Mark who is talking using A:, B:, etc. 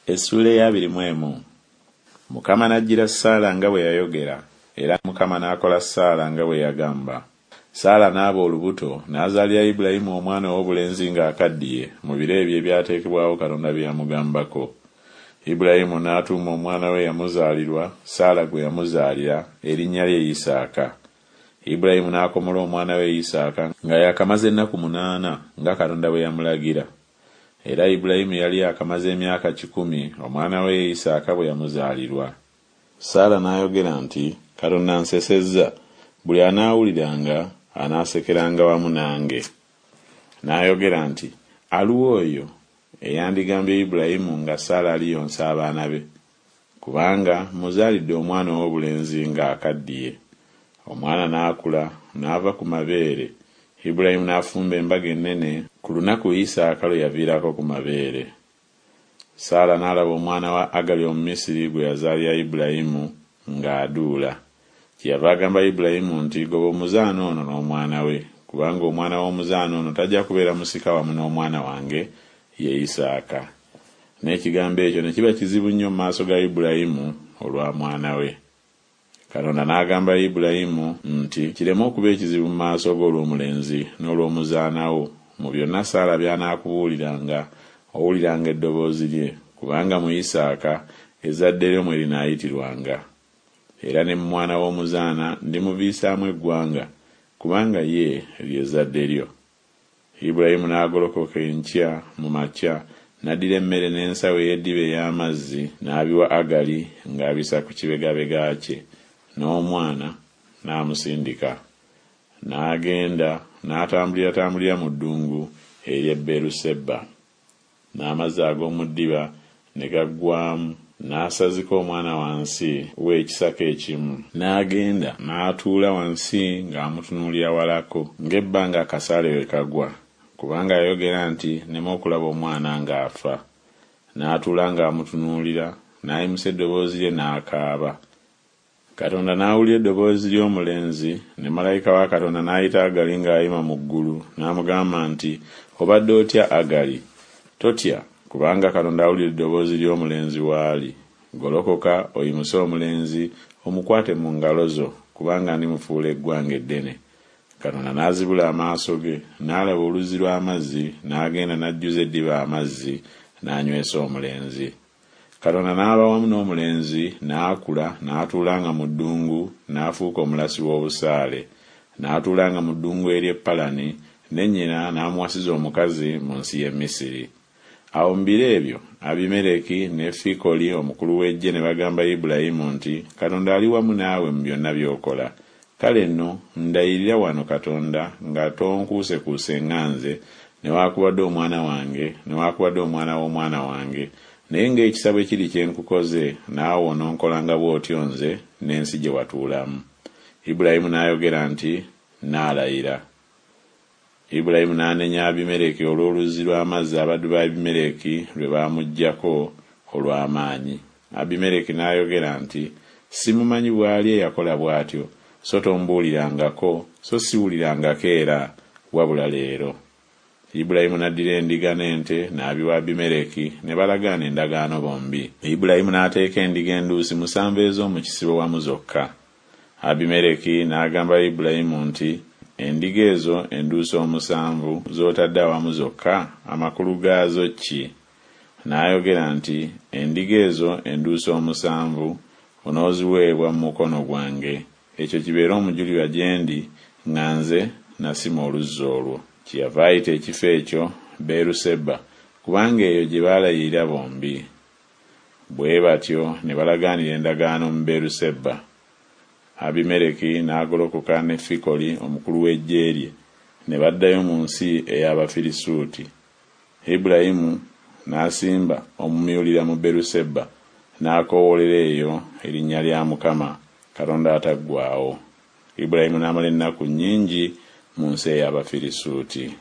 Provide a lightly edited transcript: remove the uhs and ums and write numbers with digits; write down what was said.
A: Essuula ey'abiri mu emu. Mukama n'ajjira Saala nga bwe yayogera, era Mukama n'akola Saala nga bwe yagamba. Saala n'aba olubuto, n'azaalira Ibulayimu omwana ow'obulenzi ng'akaddiye, mu biro ebyo ebyateekebwawo Katonda bye yamugambako. Ibulayimu n'atuuma omwana we eyamuzaalirwa, Saala gwe yamuzaalira, erinnya lye Isaaka. Ibulayimu n'akomola omwana we Isaaka nga yaakamaze ennaku munaana, nga Katonda bwe yamulagira. Era Ibulayimu yali yaakamaze emyaka kikumi omwana we Isaaka bwe yamuzaalirwa. Saala n'ayogera nti Katonda ansesezza, buli anaawuliranga anaasekeranga wamu nange. N'ayogera nti Aluwa oyo eyandigambye Ibulayimu nga Saala aliyonsa abaana be? Kubanga mmuzaalidde omwana ow'obulenzi ng'akaddiye. Omwana n'akula, n'ava ku mabeere, Ibulayimu n'afumba embaga ennene ku lunaku Isaaka lwe yaviirako ku mabeere. Saala n'alaba omwana wa Agali Omumisiri gwe yazaalira Ibulayimu ng'aduula. Kyeyava agamba Ibulayimu nti Goba omuzaana ono n'omwana we, kubanga omwana w'omuzaana ono tajja kubeera musika wamu n'omwana wange, ye Isaaka. N'ekigambo ekyo ne kiba kizibu nnyo mu maaso ga Ibulayimu olwa mwana we. Katonda n'agamba Ibulayimu nti Kireme okuba ekizibu mu maaso go olw'omulenzi n'olw'omuzaana wo, mu byonna Saala by'anaakubuuliranga, owuliranga eddoboozi lye, kubanga mu Isaaka ezzadde lyo mwe linaayitirwanga. Era ne mu mwana w'omuzaana ndimuviisaamu eggwanga, kubanga ye lye zzadde lyo. Ibulayimu n'agolokoka enkya mu makya, n'addira emmere n'ensawo ey'eddiba ey'amazzi, n'abiwa Agali ng'abissa ku kibegabega kye, n'omwana n'amusindika. N'agenda n'atambuliratambulira mu ddungu ery'e Beeruseba. N'amazzi ag'omu ddiba ne gaggwaamu, n'asazika omwana wansi w'ekisaka ekimu. N'agenda n'atuula wansi ng'amutunuulira walako, ng'ebbanga akasaale we kagwa, kubanga yayogera nti Nneme okulaba omwana ng'afa. N'atuula ng'amutunuulira, n'ayimusa eddoboozi lye n'akaaba. Katonda n'awulira eddoboozi ly'omulenzi, ne malayika wa Katonda n'ayita Agali ng'ayima mu ggulu, n'amugamba nti Obadde otya, Agali? Totya, kubanga Katonda awulira eddoboozi ly'omulenzi w'ali. Golokoka, oyimuse omulenzi, omukwate mu ngalo zo, kubanga ndimufuula eggwanga eddene. Katonda n'azibula amaaso ge, n'alaba oluzzi lw'amazzi, n'agenda n'ajjuza eddiba amazzi, n'anywesa omulenzi. Katonda n'aba wamu n'omulenzi, n'akula, n'atuulanga mu ddungu, n'afuuka omulasi w'obusaale. N'atuulanga mu ddungu ery'e Palani, ne nnyina n'amuwasiza omukazi mu nsi y'e Misiri. Awo mu biro ebyo Abimereki ne Fikoli omukulu w'eggye ne bagamba Ibulayimu nti Katonda ali wamu naawe mu byonna by'okola. Kale nno, ndayirira wano Katonda nga tonkuusekuuse nga nze, newakubadde omwana wange, newakubadde omwana w'omwana wange, naye ng'ekisa bwe kiri kye nkukoze, naawe ononkolanga bw'otyo nze n'ensi gye watuulamu. Ibulayimu n'ayogera nti Nnaalayira. Ibulayimu n'anenya Abimereki olw'oluzzi lw'amazzi abaddu ba Abimereki lwe baamuggyako olw'amaanyi. Abimereki n'ayogera nti Simumanyi bw'ali eyakola bw'atyo, so tombuulirangako, so siwulirangako era, wabula leero. Ibulayimu n'addira endiga n'ente n'abiwa Abimereki, ne balagaana endagaano bombi. Ibulayimu n'ateeka endiga enduusi musanvu ez'omu kisibo wamu zokka. Abimereki n'agamba Ibulayimu nti Endiga ezo enduusi omusanvu z'otadde awamu zokka, amakulu gaazo ki? N'ayogera nti Endiga ezo enduusi omusanvu onooziweebwa mu mukono gwange, ekyo kibeere omujulirwa gye ndi nga nze nasima oluzzi olwo. Kyeyava ayita ekifo ekyo Beeruseba, kubanga eyo gye baalayirira bombi. Bwe batyo ne balagaanira endagaano mu Beeruseba. Abimereki n'agolokoka ne Fikoli omukulu w'eggye lye, ne baddayo mu nsi ey'Abafirisuuti. Ibulayimu n'asimba omumyulira mu Beruseba, n'akoowoolera eyo erinnya lya Mukama, Katonda ataggwaawo. Ibulayimu n'amala ennaku nnyingi mu nsi ey'Abafirisuuti.